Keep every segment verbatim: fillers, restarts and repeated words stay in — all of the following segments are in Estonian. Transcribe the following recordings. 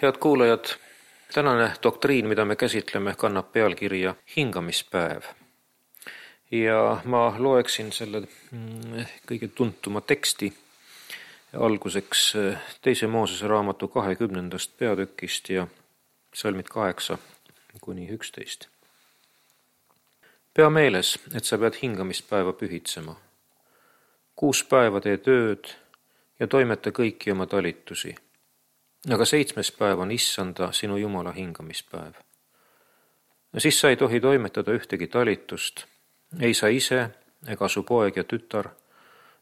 Head kuulajad, tänane doktriin, mida me käsitleme, kannab pealkirja hingamispäev. Ja ma loeksin selle kõige tuntuma teksti alguseks teise Moosese raamatu kahekümnendast peatükist ja salmid kaheksa kuni üksteist. Pea meeles, et sa pead hingamispäeva pühitsema. Kuus päeva tee tööd ja toimeta kõiki oma talitusi. Aga seitsmes päev on Issanda, sinu Jumala hingamispäev. Siis sa ei tohi toimetada ühtegi talitust, ei sa ise, ega su poeg ja tütar,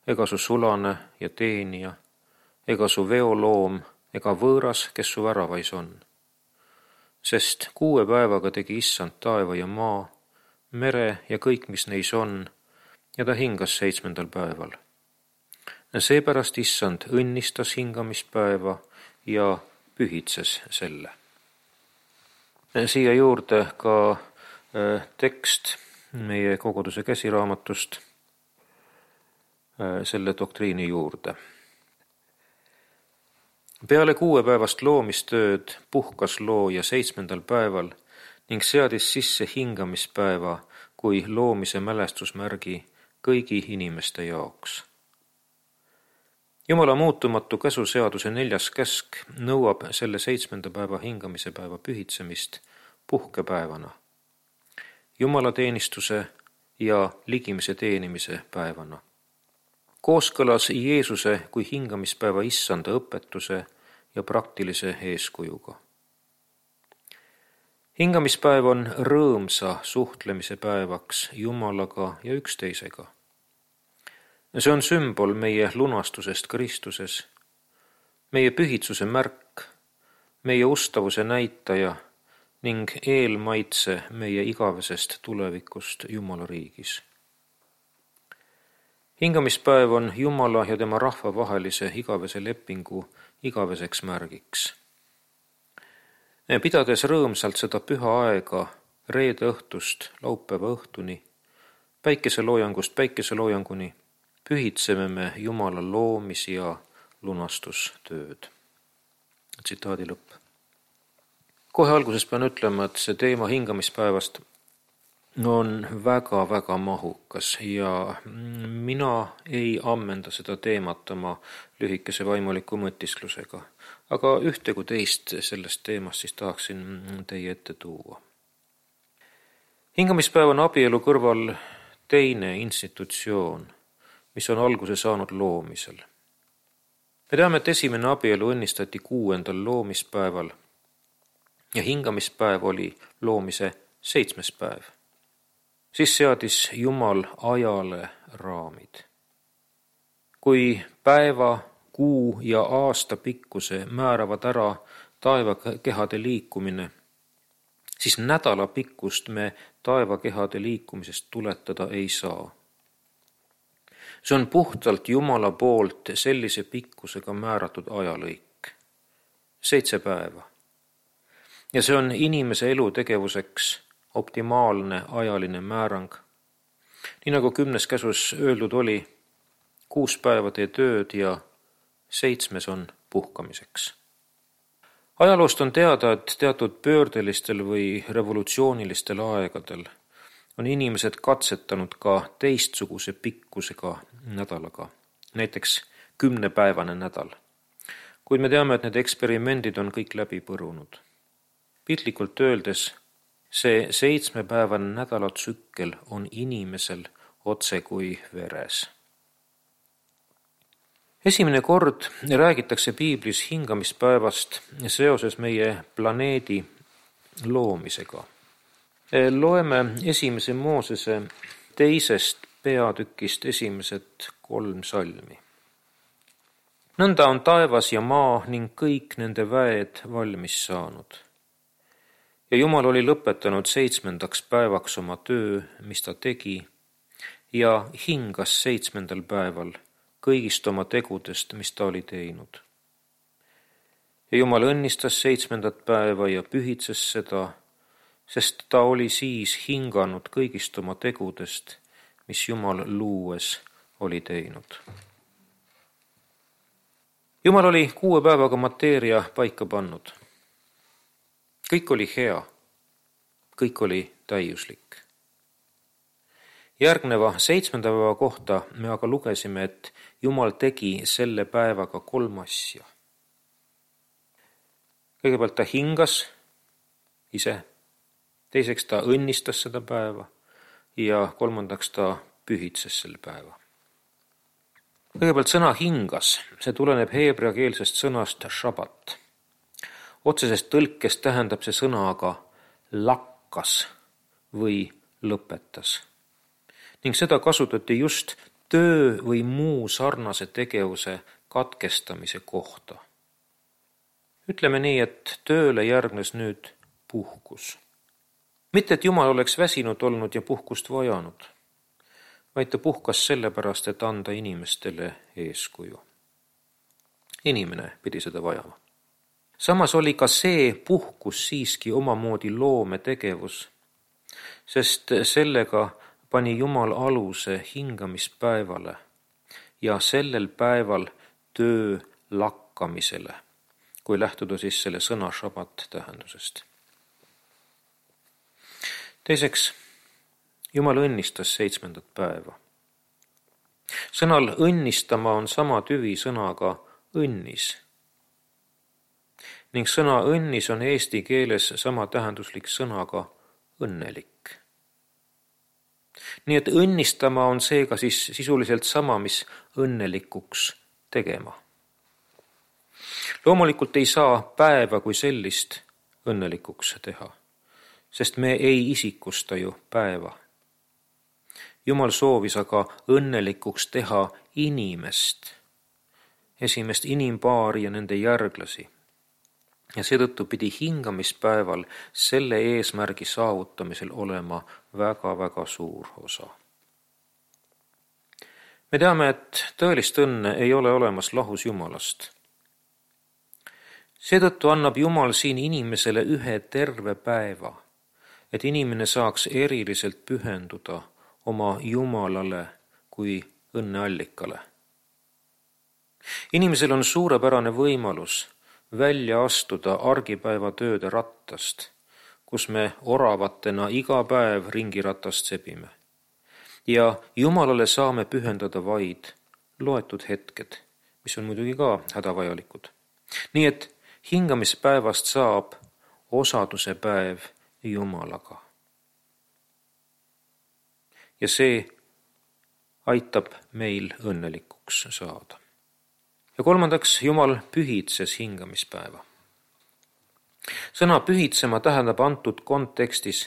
ega su sulane ja teenija, ega su veoloom, ega võõras, kes su väravais on. Sest kuue päevaga tegi Issand taeva ja maa, mere ja kõik, mis neis on, ja ta hingas seitsmendal päeval. Seepärast Issand õnnistas hingamispäeva ja pühitses selle. Siia juurde ka tekst meie koguduse käsiraamatust selle doktriini juurde. Peale kuuepäevast loomistööd puhkas looja seitsmendal päeval ning seadis sisse hingamispäeva kui loomise mälestusmärgi kõigi inimeste jaoks. Jumala muutumatu käsuseaduse neljas käsk nõuab selle seitsmenda päeva hingamise päeva pühitsemist puhkepäevana, Jumala teenistuse ja ligimise teenimise päevana. Kooskõlas Jeesuse kui hingamispäeva Issanda õpetuse ja praktilise eeskujuga. Hingamispäev on rõõmsa suhtlemise päevaks Jumalaga ja üksteisega. See on sümbol meie lunastusest Kristuses, meie pühitsuse märk, meie ustavuse näitaja ning eelmaitse meie igavesest tulevikust Jumala riigis. Hingamispäev on Jumala ja tema rahva vahelise igavese lepingu igaveseks märgiks. Pidades rõõmsalt seda püha aega reede õhtust laupäeva õhtuni, päikeseloojangust päikeseloojanguni, pühitseme me Jumala loomis- ja lunastustööd. Tsitaadi lõpp. Kohe alguses pean ütlema, et see teema hingamispäevast on väga-väga mahukas ja mina ei ammenda seda teemat oma lühikese vaimuliku mõtisklusega, aga ühte kui teist sellest teemast siis tahaksin teie ette tuua. Hingamispäev on abielu kõrval teine institutsioon, mis on alguse saanud loomisel. Me teame, et esimene abielu õnnistati kuuendal loomispäeval ja hingamispäev oli loomise seitsmes päev. Siis seadis Jumal ajale raamid. Kui päeva, kuu ja aasta pikkuse määravad ära taevakehade liikumine, siis nädala pikkust me taevakehade liikumisest tuletada ei saa. See on puhtalt Jumala poolt sellise pikkusega määratud ajalõik. Seitse päeva. Ja see on inimese elutegevuseks optimaalne ajaline määrang. Nii nagu kümnes käsus öeldud oli, kuus päeva tee tööd ja seitsmes on puhkamiseks. Ajaloost on teada, et teatud pöördelistel või revolutsioonilistel aegadel on inimesed katsetanud ka teistsuguse pikkusega nädalaga, näiteks kümnepäevane nädal. Kuid me teame, et need eksperimendid on kõik läbi põrunud. Piltlikult öeldes, see seitsmepäevane nädalatsükkel on inimesel otse kui veres. Esimene kord räägitakse piiblis hingamispäevast seoses meie planeedi loomisega. Loeme esimese Moosese teisest peatükist esimesed kolm salmi. Nõnda on taevas ja maa ning kõik nende väed valmis saanud. Ja Jumal oli lõpetanud seitsmendaks päevaks oma töö, mis ta tegi, ja hingas seitsmendal päeval kõigist oma tegudest, mis ta oli teinud. Ja Jumal õnnistas seitsmendat päeva ja pühitses seda, sest ta oli siis hinganud kõigist oma tegudest, mis Jumal luues oli teinud. Jumal oli kuue päevaga mateeria paika pannud. kõik oli hea, kõik oli täiuslik. Järgneva seitsmenda päeva kohta me aga lugesime, et Jumal tegi selle päevaga kolm asja. Kõigepealt ta hingas ise, teiseks ta õnnistas seda päeva ja kolmandaks ta pühitses selle päeva. Kõigepealt sõna hingas, see tuleneb heebreakeelsest sõnast šabat. Otsesest tõlkest tähendab see sõna aga lakkas või lõpetas. Ning seda kasutati just töö või muu sarnase tegevuse katkestamise kohta. Ütleme nii, et tööle järgnes nüüd puhkus. Mitte, et Jumal oleks väsinud olnud ja puhkust vajanud, vaid ta puhkas sellepärast, et anda inimestele eeskuju. Inimene pidi seda vajama. Samas oli ka see puhkus siiski omamoodi loometegevus, sest sellega pani Jumal aluse hingamispäevale ja sellel päeval töö lakkamisele, kui lähtuda siis selle sõna šabat tähendusest. Teiseks, Jumal õnnistas seitsmendat päeva. Sõnal õnnistama on sama tüvi sõnaga õnnis. Ning sõna õnnis on eesti keeles sama tähenduslik sõnaga õnnelik. Nii et õnnistama on seega siis sisuliselt sama, mis õnnelikuks tegema. Loomulikult ei saa päeva kui sellist õnnelikuks teha, sest me ei isikusta ju päeva. Jumal soovis aga õnnelikuks teha inimest, esimest inimpaari ja nende järglasi. Ja seetõttu pidi hingamispäeval selle eesmärgi saavutamisel olema väga-väga suur osa. Me teame, et tõelist õnne ei ole olemas lahus Jumalast. Seetõttu annab Jumal siin inimesele ühe terve päeva, et inimene saaks eriliselt pühenduda oma Jumalale kui õnneallikale. Inimesel on suurepärane võimalus välja astuda argipäeva tööde rattast, kus me oravatena iga päev ringiratast sebime. Ja Jumalale saame pühendada vaid loetud hetked, mis on muidugi ka hädavajalikud. Nii et hingamispäevast saab osaduse päev Jumalaga. Ja see aitab meil õnnelikuks saada. Ja kolmandaks, Jumal pühitses hingamispäeva. Sõna pühitsema tähendab antud kontekstis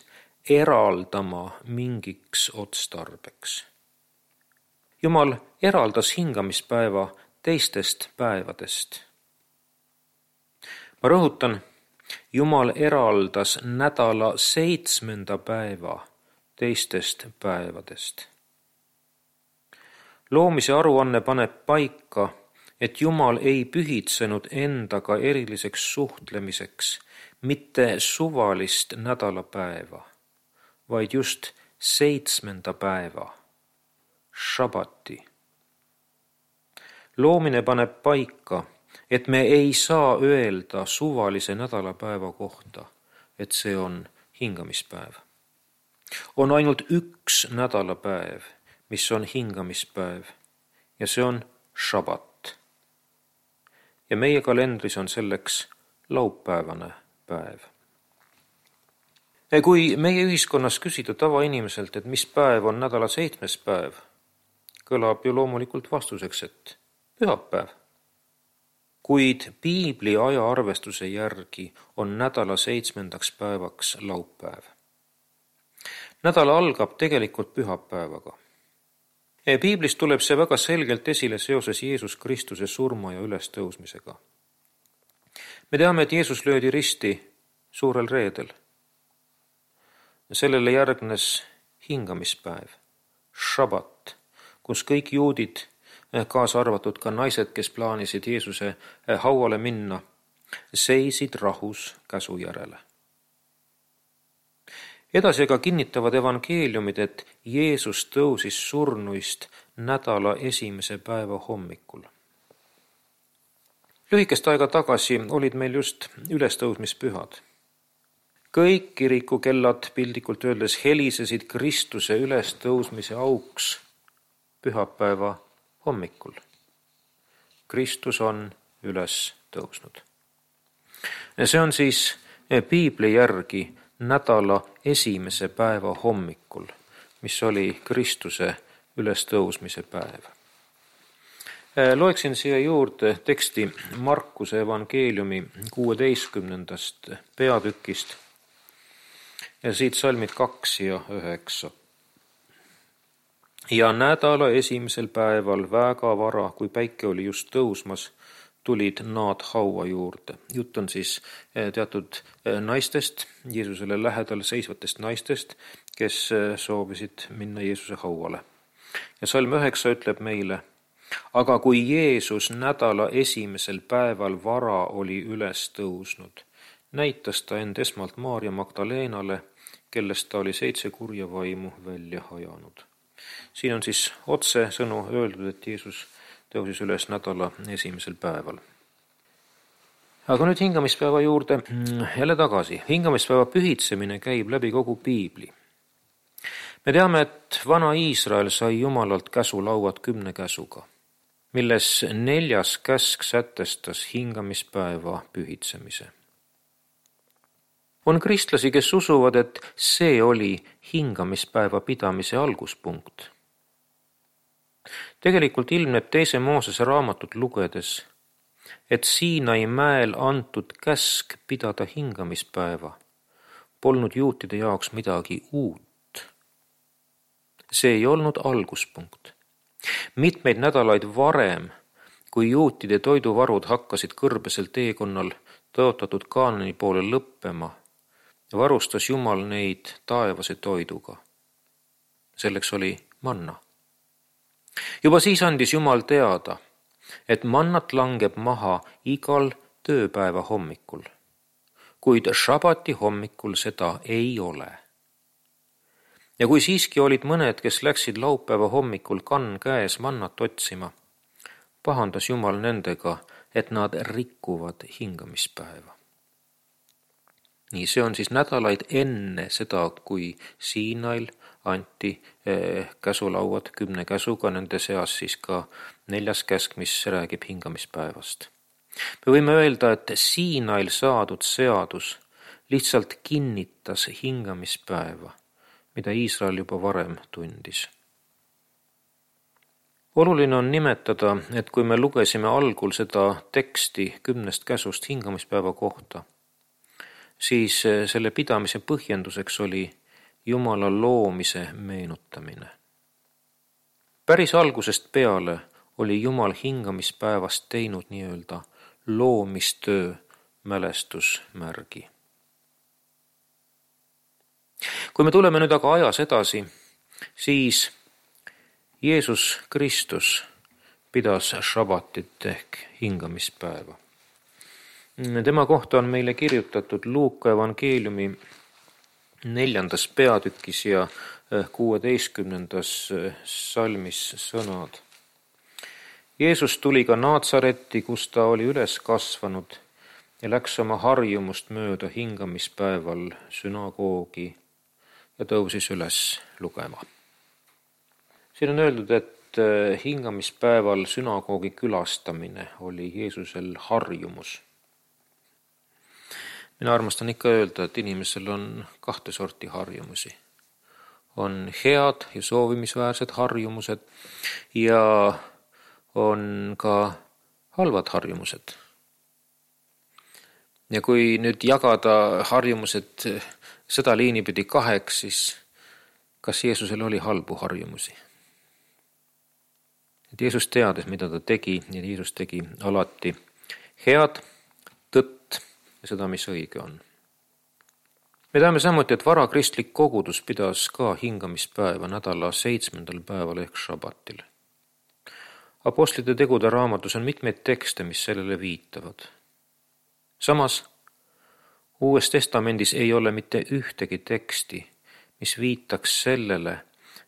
eraldama mingiks otstarbeks. Jumal eraldas hingamispäeva teistest päevadest. Ma rõhutan, Jumal eraldas nädala seitsmenda päeva teistest päevadest. Loomise aruanne paneb paika, et Jumal ei pühitsenud endaga eriliseks suhtlemiseks mitte suvalist nädalapäeva, vaid just seitsmenda päeva, šabati. Loomine paneb paika, et me ei saa öelda suvalise nädalapäeva kohta, et see on hingamispäev. On ainult üks nädalapäev, mis on hingamispäev, ja see on šabat. Ja meie kalendris on selleks laupäevane päev. Kui meie ühiskonnas küsida tavainimeselt, et mis päev on nädala seitsmes päev, kõlab ju loomulikult vastuseks, et pühapäev. Kuid piibli ajaarvestuse järgi on nädala seitsmendaks päevaks laupäev. Nädala algab tegelikult pühapäevaga. Piiblist tuleb see väga selgelt esile seoses Jeesus Kristuse surma ja ülestõusmisega. Me teame, et Jeesus löödi risti suurel reedel. Sellele järgnes hingamispäev, šabat, kus kõik juudid, kaasa arvatud ka naised, kes plaanisid Jeesuse hauale minna, seisid rahus käsu järele. Edasi aga kinnitavad evangeeliumid, et Jeesus tõusis surnuist nädala esimese päeva hommikul. Lühikest aega tagasi olid meil just ülestõusmispühad. kõik kirikukellad pildikult öeldes helisesid Kristuse ülestõusmise auks pühapäeva hommikul. Kristus on üles tõusnud. See on siis piibli järgi nädala esimese päeva hommikul, mis oli Kristuse ülestõusmise päev. Loeksin siia juurde teksti Markuse evangeeliumi kuueteistkümnendast peatükist ja siit salmid kaks ja üheksa. Ja nädala esimesel päeval väga vara, kui päike oli just tõusmas, tulid nad haua juurde. Jutt on siis teatud naistest, Jeesusele lähedal seisvatest naistest, kes soovisid minna Jeesuse hauale. Ja salm üheksa ütleb meile, aga kui Jeesus nädala esimesel päeval vara oli üles tõusnud, näitas ta end esmalt Maarja Magdaleenale, kellest ta oli seitse kurja vaimu välja ajanud. Siin on siis otse sõnu öeldud, et Jeesus tõusis üles nädala esimesel päeval. Aga nüüd hingamispäeva juurde jälle tagasi. Hingamispäeva pühitsemine käib läbi kogu piibli. Me teame, et vana Iisrael sai Jumalalt käsulauad kümne käsuga, milles neljas käsk sätestas hingamispäeva pühitsemise. On kristlasi, kes usuvad, et see oli hingamispäeva pidamise alguspunkt. Tegelikult ilmneb teise Moosese raamatut lugedes, et Siinai mäel antud käsk pidada hingamispäeva polnud juutide jaoks midagi uut. See ei olnud alguspunkt. Mitmeid nädalaid varem, kui juutide toiduvarud hakkasid kõrbesel teekonnal tõotatud Kaanani poole lõppema, varustas Jumal neid taevase toiduga. Selleks oli manna. Juba siis andis Jumal teada, et mannat langeb maha igal tööpäeva hommikul, kuid šabati hommikul seda ei ole. Ja kui siiski olid mõned, kes läksid laupäeva hommikul kann käes mannat otsima, pahandas Jumal nendega, et nad rikkuvad hingamispäeva. Nii, see on siis nädalaid enne seda, kui Siinail anti eh, käsulauad kümne käsuga, nende seas siis ka neljas käsk, mis räägib hingamispäevast. Me võime öelda, et Siinail saadud seadus lihtsalt kinnitas hingamispäeva, mida Iisrael juba varem tundis. Oluline on nimetada, et kui me lugesime algul seda teksti kümnest käsust hingamispäeva kohta, siis selle pidamise põhjenduseks oli Jumala loomise meenutamine. Päris algusest peale oli Jumal hingamispäevast teinud nii-öelda loomistöö mälestusmärgi. Kui me tuleme nüüd aga ajas edasi, siis Jeesus Kristus pidas šabatit ehk hingamispäeva. Tema kohta on meile kirjutatud Luuka evangeeliumi neljandas peatükis ja kuueteistkümnendas salmis sõnad. Jeesus tuli ka Naatsaretti, kus ta oli üles kasvanud ja läks oma harjumust mööda hingamispäeval sünagoogi ja tõusis üles lugema. Siin on öeldud, et hingamispäeval sünagoogi külastamine oli Jeesusel harjumus. Mina armastan ikka öelda, et inimesel on kahte sorti harjumusi. On head ja soovimisväärsed harjumused ja on ka halvad harjumused. Ja kui nüüd jagada harjumused seda liini pidi kaheks, siis kas Jeesusel oli halbu harjumusi? Et Jeesus teadis, mida ta tegi, ja Jeesus tegi alati head, tõtt ja seda, mis õige on. Me teame samuti, et varakristlik kogudus pidas ka hingamispäeva nädala seitsmendal päeval ehk šabatil. Apostlite tegude raamatus on mitmeid tekste, mis sellele viitavad. Samas, Uues testamendis ei ole mitte ühtegi teksti, mis viitaks sellele,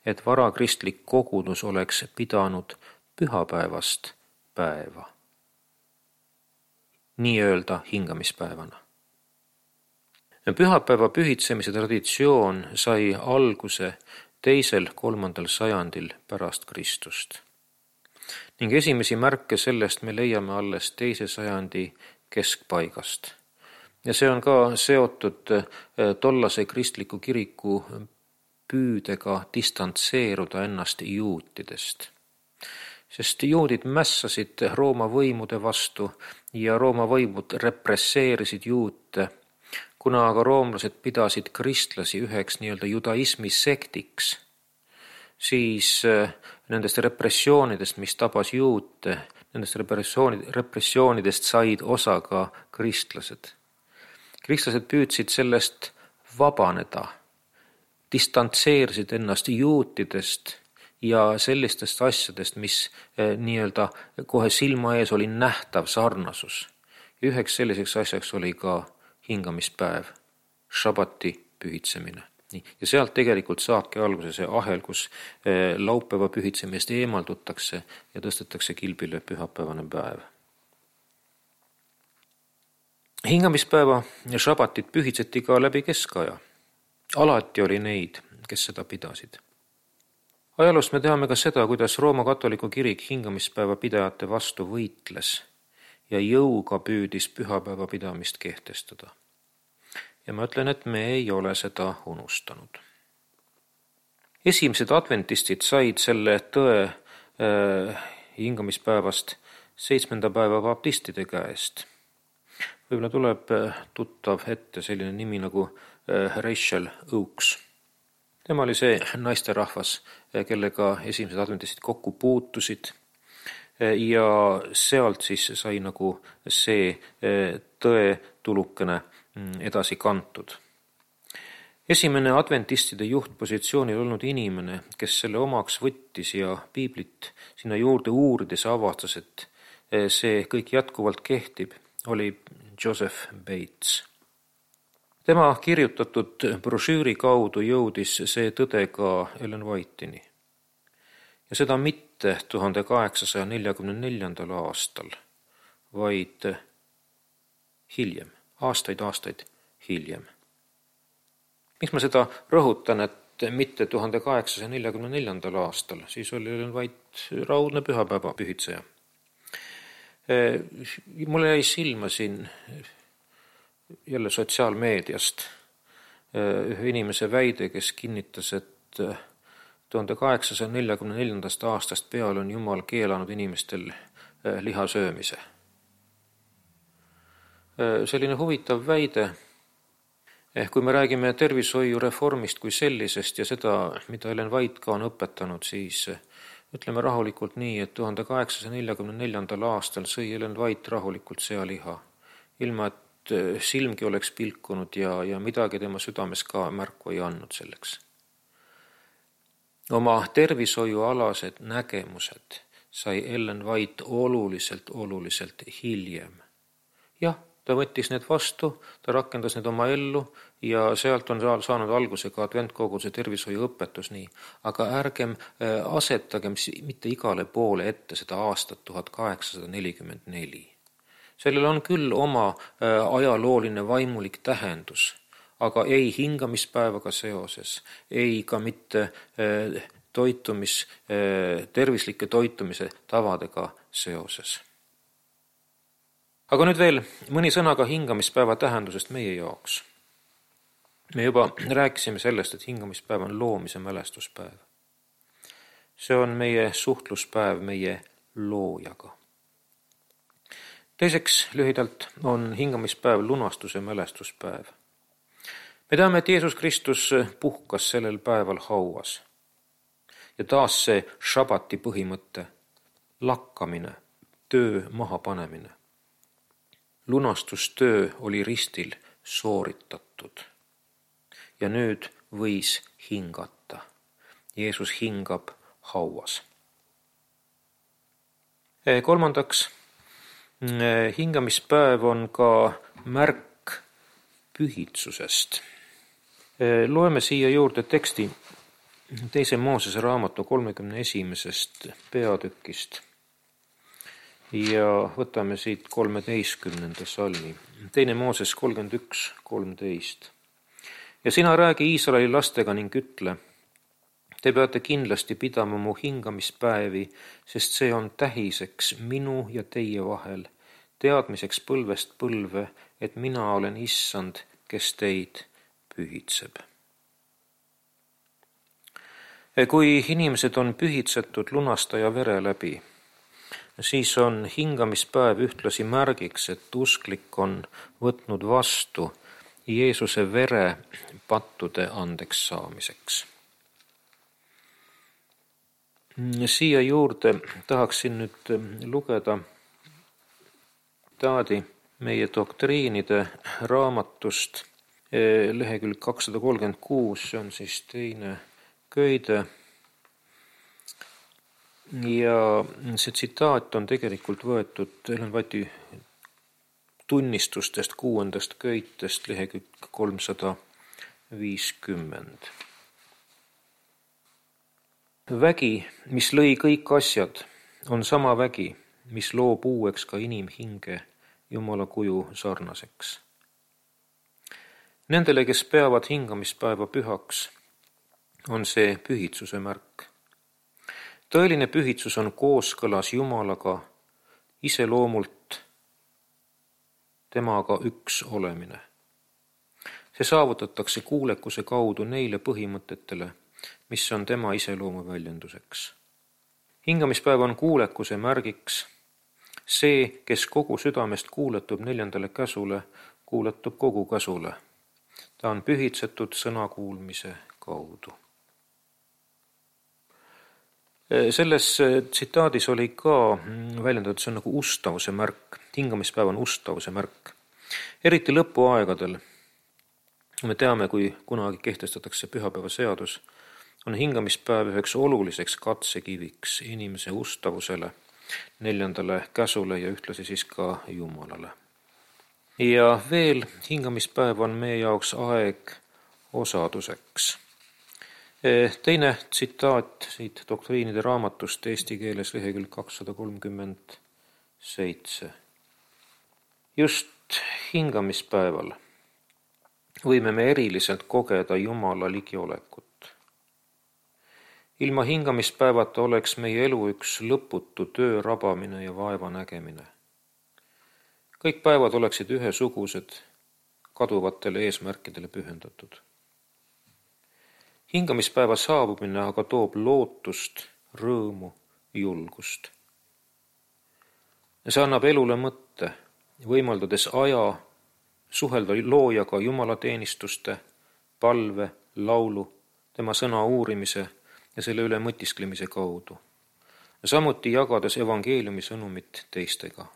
et varakristlik kogudus oleks pidanud pühapäevast päeva, nii-öelda hingamispäevana. Pühapäeva pühitsemise traditsioon sai alguse teisel kolmandal sajandil pärast Kristust ning esimesi märke sellest me leiame alles teise sajandi keskpaigast. Ja see on ka seotud tollase kristliku kiriku püüdega distantseeruda ennast juutidest. Sest juudid mässasid Rooma võimude vastu ja Rooma võimud represseerisid juute, kuna aga roomlased pidasid kristlasi üheks nii-öelda judaismi sektiks, siis nendest repressioonidest, mis tabas juute, nendest repressioonidest said osa ka kristlased. Kristlased püüdsid sellest vabaneda, distantseerisid ennast juutidest ja sellistest asjadest, mis nii-öelda kohe silma ees oli nähtav sarnasus. Üheks selliseks asjaks oli ka hingamispäev, šabati pühitsemine. Ja sealt tegelikult saabki alguse see ahel, kus laupäeva pühitsemist eemaldutakse ja tõstetakse kilbile pühapäevane päev. Hingamispäeva ja šabatit pühitseti ka läbi keskaja. Alati oli neid, kes seda pidasid. Ajaloost me teame ka seda, kuidas Rooma katoliku kirik hingamispäeva pidajate vastu võitles ja jõuga püüdis pühapäeva pidamist kehtestada. Ja ma ütlen, et me ei ole seda unustanud. Esimesed adventistid said selle tõe äh, hingamispäevast seitsmenda päeva baptistide käest. Võib-olla tuleb tuttav ette selline nimi nagu äh, Rachel Oakes. Tema oli see naisterahvas, kellega esimesed adventistid kokku puutusid ja sealt siis sai nagu see tõe tulukene edasi kantud. Esimene adventistide juhtpositsioonil olnud inimene, kes selle omaks võttis ja piiblit sinna juurde uurides avastas, et see kõik jätkuvalt kehtib, oli Joseph Bates. Tema kirjutatud brošüüri kaudu jõudis see tõde ka Ellen White'ini. Ja seda mitte tuhande kaheksasaja neljakümne neljandal aastal, vaid hiljem, aastaid, aastaid hiljem. Miks ma seda rõhutan, et mitte tuhande kaheksasaja neljakümne neljandal aastal, siis oli Ellen White raudne pühapäeva pühitseja. Mulle jäi silma siin jälle sotsiaalmeediast ühe inimese väide, kes kinnitas, et tuhande kaheksasaja neljakümne neljandast aastast peale on Jumal keelanud inimestel liha söömise. Selline huvitav väide, kui me räägime tervishoiureformist kui sellisest ja seda, mida Ellen White ka on õpetanud, siis ütleme rahulikult nii, et tuhande kaheksasaja neljakümne neljandal aastal sõi Ellen White rahulikult sealiha, ilma et silmgi oleks pilkunud ja, ja midagi tema südames ka märku ei andnud selleks. Oma tervishoiualased nägemused sai Ellen White oluliselt, oluliselt hiljem. Jah, ta võttis need vastu, ta rakendas need oma ellu ja sealt on saanud alguse ka adventkoguse tervishoiuõpetus nii. Aga ärgem asetagem mitte igale poole ette seda aastat tuhat kaheksasada nelikümmend neli. Sellel on küll oma ajalooline vaimulik tähendus, aga ei hingamispäevaga seoses, ei ka mitte toitumis, tervislike toitumise tavadega seoses. Aga nüüd veel mõni sõna ka hingamispäeva tähendusest meie jaoks. Me juba rääkisime sellest, et hingamispäev on loomise mälestuspäev. See on meie suhtluspäev meie loojaga. Teiseks lühidalt on hingamispäev lunastuse mälestuspäev. Me teame, et Jeesus Kristus puhkas sellel päeval hauas. Ja taas see šabati põhimõtte, lakkamine, töö mahapanemine. Lunastustöö oli ristil sooritatud. Ja nüüd võis hingata. Jeesus hingab hauas. Kolmandaks, hingamispäev on ka märk pühitsusest. Loeme siia juurde teksti teise Moosese raamatu kolmekümne esimesest peatükist ja võtame siit kolmeteistkümnenda salmi. Teine Mooses kolmkümmend üks kolmteist. Ja sina räägi Iisraeli lastega ning ütle, te peate kindlasti pidama mu hingamispäevi, sest see on tähiseks minu ja teie vahel, teadmiseks põlvest põlve, et mina olen issand, kes teid pühitseb. Kui inimesed on pühitsetud lunastaja vere läbi, siis on hingamispäev ühtlasi märgiks, et usklik on võtnud vastu Jeesuse vere pattude andeks saamiseks. Siia juurde tahaksin nüüd lugeda taadi meie doktriinide raamatust, lehekülg kakssada kolmkümmend kuus, see on siis teine köide. Ja see tsitaat on tegelikult võetud Ellen White'i tunnistustest kuuendast köitest, lehekülg kolmsada viiskümmend. Vägi, mis lõi kõik asjad, on sama vägi, mis loob uueks ka inimhinge Jumala kuju sarnaseks. Nendele, kes peavad hingamispäeva pühaks, on see pühitsuse märk. Tõeline pühitsus on kooskõlas Jumalaga, iseloomult temaga üks olemine. See saavutatakse kuulekuse kaudu neile põhimõtetele, mis on tema iseloomu väljenduseks. Hingamispäev on kuulekuse märgiks. See, kes kogu südamest kuuletub neljandale käsule, kuuletub kogu käsule. Ta on pühitsetud sõna kuulmise kaudu. Selles tsitaadis oli ka väljendatud, see on nagu ustavuse märk. Hingamispäev on ustavuse märk. Eriti lõpuaegadel, me teame, kui kunagi kehtestatakse pühapäeva seadus, on hingamispäev üheks oluliseks katsekiviks inimese ustavusele, neljandale käsule ja ühtlasi siis ka Jumalale. Ja veel hingamispäev on meie jaoks aeg osaduseks. Teine tsitaat siit doktriinide raamatust eesti keeles lehekülg kakssada kolmkümmend seitse. Just hingamispäeval võime me eriliselt kogeda Jumala ligiolekut. Ilma hingamispäevata oleks meie elu üks lõputu töö rabamine ja vaeva nägemine. Kõik päevad oleksid ühesugused, kaduvatele eesmärkidele pühendatud. Hingamispäeva saabumine aga toob lootust, rõõmu, julgust. See annab elule mõtte, võimaldades aja suhelda loojaga jumalateenistuste, palve, laulu, tema sõna uurimise ja selle üle mõtisklemise kaudu. Samuti jagades evangeeliumi sõnumit teistega.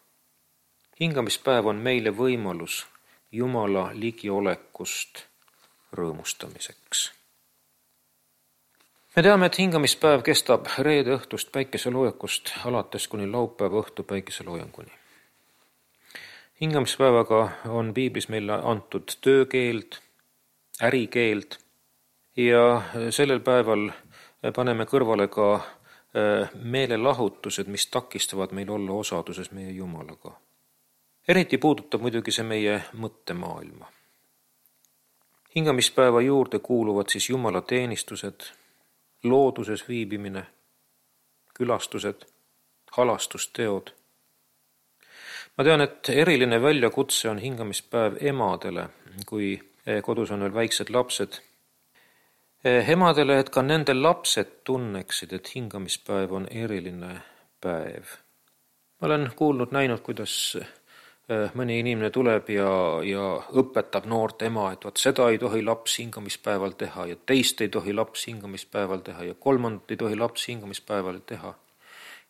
Hingamispäev on meile võimalus Jumala ligiolekust rõõmustamiseks. Me teame, et hingamispäev kestab reede õhtust päikeseloojangust alates kuni laupäeva õhtu päikeseloojanguni. Hingamispäevaga on piiblis meile antud töökeeld, ärikeeld ja sellel päeval paneme kõrvale ka meelelahutused, mis takistavad meil olla osaduses meie Jumalaga. Eriti puudutab muidugi see meie mõttemaailma. Hingamispäeva juurde kuuluvad siis Jumala teenistused, looduses viibimine, külastused, halastusteod. Ma tean, et eriline väljakutse on hingamispäev emadele, kui kodus on veel väiksed lapsed. Emadele, et ka nende lapsed tunneksid, et hingamispäev on eriline päev. Ma olen kuulnud, näinud, kuidas mõni inimene tuleb ja, ja õpetab noort ema, et vaat seda ei tohi laps hingamispäeval teha ja teist ei tohi laps hingamispäeval teha ja kolmandat ei tohi laps hingamispäeval teha.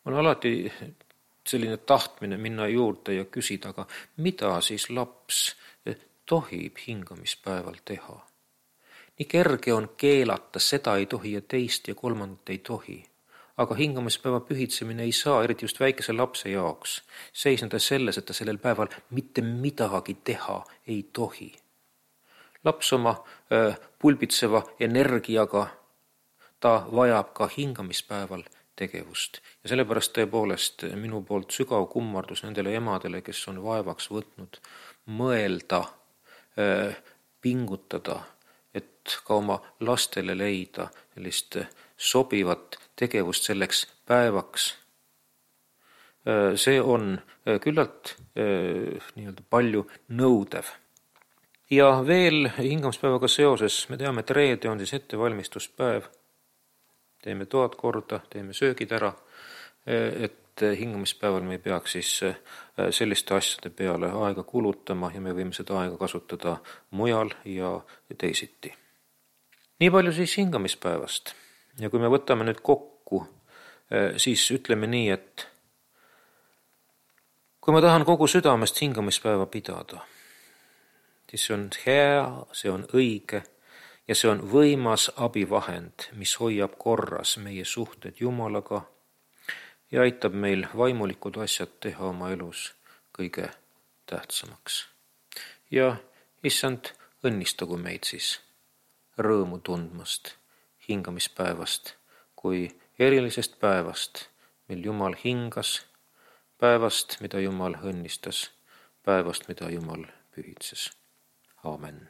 On alati selline tahtmine minna juurde ja küsida, aga mida siis laps tohib hingamispäeval teha? Nii kerge on keelata, seda ei tohi ja teist ja kolmandat ei tohi. Aga hingamispäeva pühitsemine ei saa, eriti just väikese lapse jaoks, seisneda selles, et ta sellel päeval mitte midagi teha ei tohi. Laps oma äh, pulbitseva energiaga, ta vajab ka hingamispäeval tegevust. Ja sellepärast tõepoolest minu poolt sügav kummardus nendele emadele, kes on vaevaks võtnud mõelda, pingutada, et ka oma lastele leida sellist sobivat tegevust selleks päevaks. See on küllalt nii-öelda palju nõudev. Ja veel hingamispäevaga seoses me teame, et reede on siis ettevalmistuspäev. Teeme toad korda, teeme söögid ära, et hingamispäeval me ei peaks siis selliste asjade peale aega kulutama ja me võime seda aega kasutada mujal ja teisiti. Nii palju siis hingamispäevast. Ja kui me võtame nüüd kokku, siis ütleme nii, et kui ma tahan kogu südamest hingamispäeva pidada, siis see on hea, see on õige ja see on võimas abivahend, mis hoiab korras meie suhted Jumalaga ja aitab meil vaimulikud asjad teha oma elus kõige tähtsamaks. Ja issand, õnnistagu meid siis rõõmu tundmast hingamispäevast kui erilisest päevast, mil Jumal hingas, päevast, mida Jumal õnnistas, päevast, mida Jumal pühitses. Aamen.